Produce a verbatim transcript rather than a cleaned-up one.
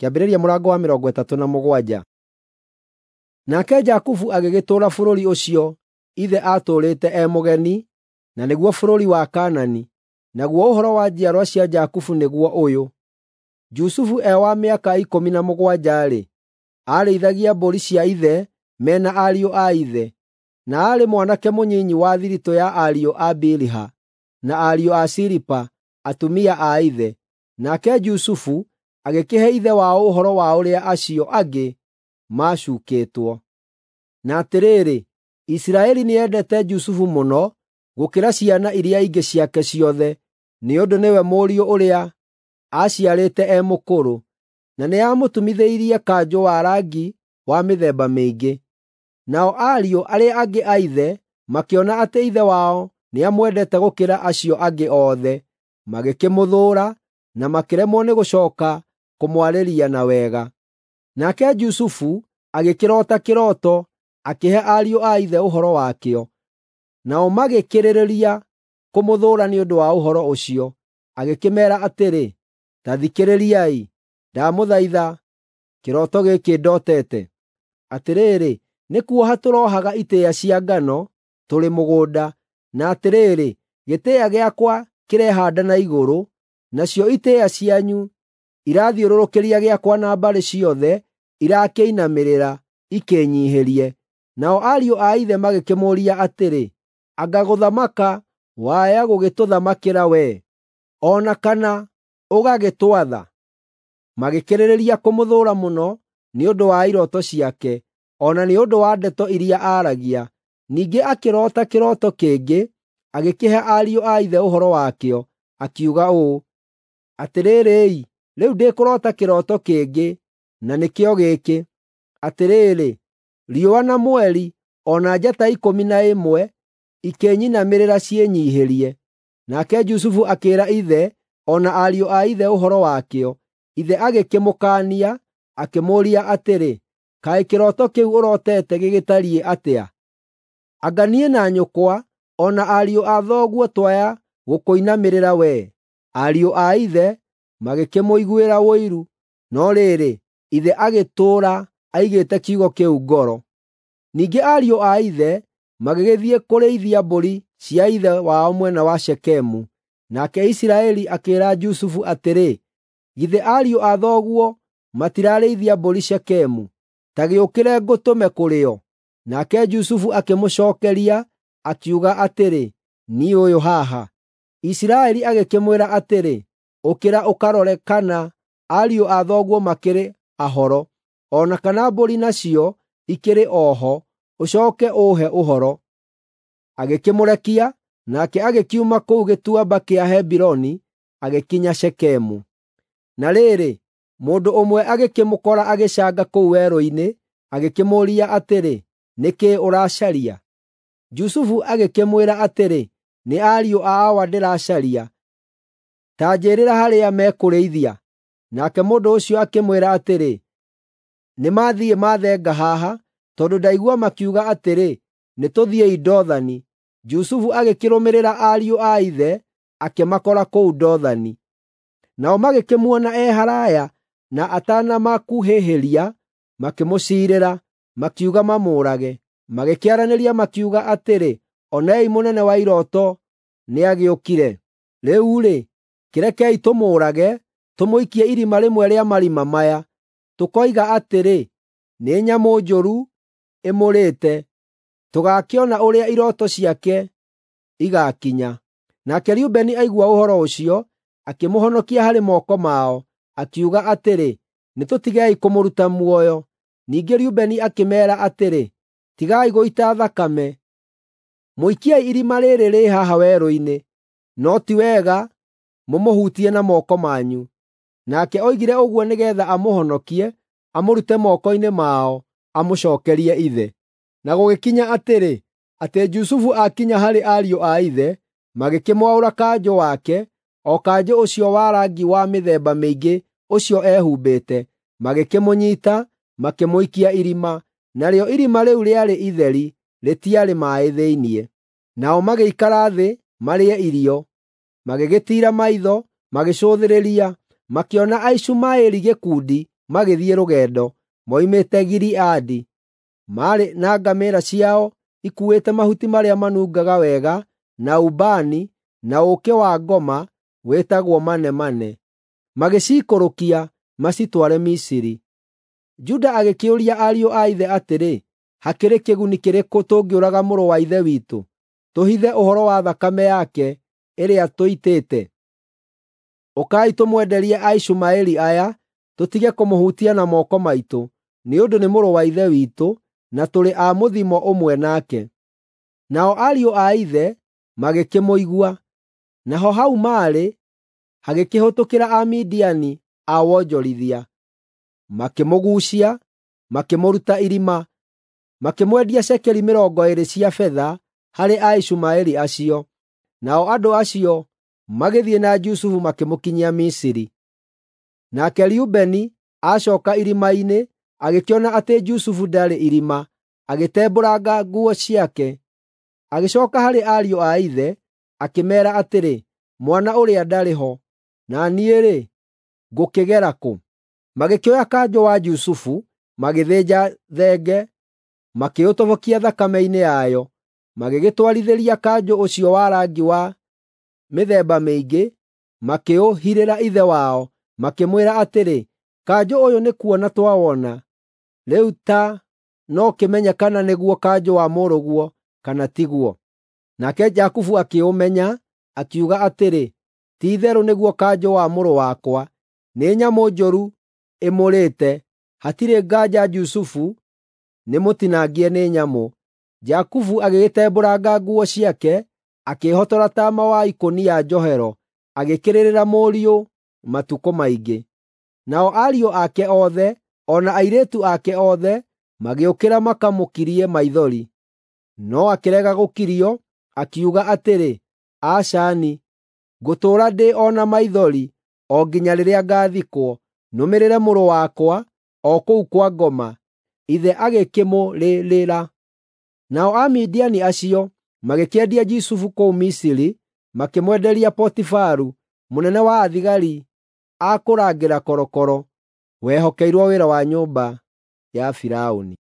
Kĩambĩrĩria mũrango wa mĩrongo ĩtatũ na mũgwanja. Nake Jakubu agĩgĩtũũra bũrũri ũcio ithe aatũũrĩte e mũgeni, na nĩguo bũrũri wa Kaanani. Naguo ũhoro wa njiarwa cia Jakubu nĩguo ũyũ: Jusufu e wa mĩaka ikũmi na mũgwanja-rĩ, aarĩithagia mbũri cia ithe me na ariũ a ithe, na aarĩ mwanake mũnyinyi wa thiritũ ya ariũ a Biliha na ariũ a Zilipa, atumia a ithe. Nake Jusufu agĩkĩhe ithe wao ũhoro wa ũrĩa acio angĩ macuukĩtwo. Na atĩrĩrĩ, Isiraeli nĩendete Jusufu mũno gũkĩra ciana iria ingĩ ciake ciothe, nĩ ũndũ nĩwe mũriũ ũrĩa aaciarĩte e mũkũrũ, na nĩamũtumithĩirie kanjũ wa rangi wa mĩthemba mĩingĩ. Nao ariũ arĩa angĩ a ithe makĩona atĩ ithe wao nĩamwendete gũkĩra acio angĩ othe, magĩkĩmũthũũra na makĩremwo nĩ gũcooka kũmwarĩria na wega. Nake Jusufu agĩkĩroota kĩroto, akĩhe ariũ a ithe ũhoro wakĩo. Nao magĩkĩrĩrĩria kũmũthũũra nĩ ũndũ wa ũhoro ũcio. Agĩkĩmeera atĩrĩ, “Ta thikĩrĩriai, ndamũthaitha kĩroto gĩkĩ ndotete. Atĩrĩrĩ, nĩ kuoha tũrohaga itĩĩa cia ngano tũrĩ mũgũnda, na atĩrĩrĩ, gĩtĩĩa gĩakwa kĩrehaanda na igũrũ, nacio itĩĩa cianyu irathiũrũrũkĩria gĩakwa na mbarĩ ciothe irakĩinamĩrĩra ikĩnyiihĩrie.” Nao ariũ a ithe magĩkĩmũũria atĩrĩ, “Anga gũthamaka waya gũgĩtũthamakĩra wee, o na kana ũgagĩtwatha?” Magĩkĩrĩrĩria kũmũthũũra mũno nĩ ũndũ wa irooto ciake, o na nĩ ũndũ wa ndeto iria aaragia. Ningĩ akĩroota kĩroto kĩngĩ, agĩkĩhe ariũ a ithe ũhoro wakĩo, akiuga ũũ, “Atĩrĩrĩ-i, rĩu ndĩkũroota kĩroto kĩngĩ, na nĩkĩo gĩkĩ: Atĩrĩrĩ, riũa na mweri o na njata ikũmi na ĩmwe ikĩnyinamĩrĩra ciĩnyiihĩrie.” Nake Jusufu akĩĩra ithe o na ariũ a ithe ũhoro wakĩo. Ithe agĩkĩmũkaania, akĩmũũria atĩrĩ, “Kaĩ kĩroto kĩu ũrotete gĩgĩtariĩ atĩa? Anga niĩ na nyũkwa o na ariũ a thoguo twaya gũkũinamĩrĩra wee?” Ariũ a ithe magĩkĩmũiguĩra ũiru, no rĩrĩ, ithe agĩtũũra aigĩte kiugo kĩu ngoro. Ningĩ ariũ a ithe magĩgĩthiĩ kũrĩithia mbũri cia ithe wao mwena wa Shekemu. Nake Isiraeli akĩĩra Jusufu atĩrĩ, “Githĩ ariũ a thoguo matirarĩithia mbũri Shekemu? Ta gĩũkĩre ngũtũme kũrĩ o.” Nake Jusufu akĩmũcookeria, akiuga atĩrĩ, “Niĩ ũyũ haha.” Isiraeli agĩkĩmwĩra atĩrĩ, “Ũkĩra ũkarore kana ariũ a thoguo makĩrĩ ahoro, o na kana mbũri nacio ikĩrĩ o ho, ũcooke ũũhe ũhoro.” Agĩkĩmũrekia, nake agĩkiuma kũu gĩtuamba kĩa Hebironi agĩkinya Shekemu. Na rĩrĩ, mũndũ ũmwe agĩkĩmũkora agĩcanga kũu werũ-inĩ, agĩkĩmũũria atĩrĩ, “Nĩ kĩĩ ũracaria?” Jusufu agĩkĩmwĩra atĩrĩ, “Nĩ ariũ a awa ndĩracaria. Ta njĩĩrĩra harĩa mekũrĩithia.” Nake mũndũ ũcio akĩmwĩra atĩrĩ, “Nĩmathiĩ mathenga haha, tondũ ndaigua makiuga atĩrĩ, ‘Nĩtũthiĩi Dothani.’ ” Jusufu agĩkĩrũmĩrĩra ariũ a ithe, akĩmakora kũu Dothani. Nao magĩkĩmuona e haraaya, na atanamakuhĩhĩria, makĩmũciirĩra, makiuga mamũũrage. Magĩkĩaranĩria makiuga atĩrĩ, “Onei mũnene wa irooto nĩagĩũkire. Rĩu-rĩ, kĩrekei tũmũũrage, tũmũikie irima rĩmwe rĩa marima maya. Tũkoiga atĩrĩ, ‘Nĩ nyamũ njũru ĩmũrĩte.’ Tũgaakĩona ũrĩa irooto ciake igaakinya.” Nake Rubeni aigua ũhoro ũcio, akĩmũhonokia harĩ moko mao, akiuga atĩrĩ, “Nĩtũtigei kũmũruta muoyo.” Ningĩ Rubeni akĩmeera atĩrĩ, “Tigai gũita thakame. Mũikiei irima rĩĩrĩ rĩ haha werũ-inĩ, no ti wega mũmũhutie na moko manyu.” Nake oigire ũguo nĩgeetha amũhonokie, amũrute moko-inĩ mao, amũcookerie ithe. Na gũgĩkinya atĩrĩ, atĩ Jusufu aakinya harĩ ariũ a ithe, magĩkĩmwaũra kanjũ wake, o kanjũ ũcio wa rangi wa mĩthemba mĩingĩ ũcio eehumbĩte, magĩkĩmũnyiita, makĩmũikia irima. Narĩo irima rĩu rĩarĩ itheri, rĩtiarĩ maaĩ thĩinĩ. Nao magĩikara thĩ marĩe irio, magĩgĩtiira maitho, magĩcũthĩrĩria, makĩona Aishumaeli gĩkundi magĩthiĩ rũgendo, moimĩte Gileadi. Maarĩ na ngamĩĩra ciao ikuuĩte mahuti marĩa manungaga wega, na ubani, na ũũkĩ wa ngoma wĩtagwo manemane. Magĩciikũrũkia macitware Misiri. Juda agĩkĩũria ariũ a ithe atĩrĩ, “Hakĩrĩ kĩguni kĩrĩkũ tũngĩũraga mũrũ wa ithe witũ, tũhithe ũhoro wa thakame yake ĩrĩa tũitĩte? Ũkai tũmwenderie Aishumaeli aya, tũtige kũmũhutia na moko maitũ, nĩ ũndũ nĩ mũrũ wa ithe witũ, na tũrĩ a mũthimo ũmwe nake.” Nao ariũ a ithe magĩkĩmũigua. Naho hau maarĩ hagĩkĩhĩtũkĩra Amidiani a wonjorithia. Makĩmũguucia, makĩmũruta irima, makĩmwendia cekeri mĩrongo ĩĩrĩ cia betha harĩ Aishumaeli acio. Nao andũ acio magĩthiĩ na Jusufu makĩmũkinyia Misiri. Nake Rubeni acooka irima-inĩ, agĩkĩona atĩ Jusufu ndarĩ irima, agĩtembũranga nguo ciake. Agĩcooka harĩ ariũ a ithe, akĩmeera atĩrĩ, “Mwana ũrĩa ndarĩ ho, na niĩ-rĩ, ngũkĩgera kũ?” Magĩkĩoya kanjũ wa Jusufu, magĩthĩnja thenge, makĩũtobokia thakame-inĩ yayo, magĩgĩtwarithĩria kanjũ ũcio wa rangi wa mĩthemba mĩingĩ, makĩũhirĩra ithe wao, makĩmwĩra atĩrĩ, “Kanjũ ũyũ nĩ kuona twawona, rĩu ta no kĩmenye kana nĩguo kanjũ wa mũrũguo kana tiguo.” Nake Jakubu akĩũmenya, akiuga atĩrĩ, “Ti-itherũ nĩguo kanjũ wa mũrũ wakwa. Nĩ nyamũ njũru ĩmũrĩte, hatirĩ nganja Jusufu nĩmũtinangie nĩ nyamũ.” Jakubu agĩgĩtembũranga nguo ciake, akĩĩhotora taama wa ikũnia njohero, agĩkĩrĩrĩra mũriũ matukũ maingĩ. Nao ariũ ake othe, o na airĩtu ake othe, magĩũkĩra makamũkirie maithori. No akĩrega gũkirio, akiuga atĩrĩ, “Aca-ni, ngũtũũra ndĩ o na maithori o nginya rĩrĩa ngaathikwo, nũmĩrĩre mũrũ wakwa o kũu kwa ngoma.” Ithe agĩkĩmũrĩrĩra. Nao Amidiani acio magĩkĩendia Jusufu kũu Misiri, makĩmwenderia Potifaru, mũnene wa athigari a kũrangĩra korokoro, wehokeirwo wĩra wa nyũmba ya Firaũni.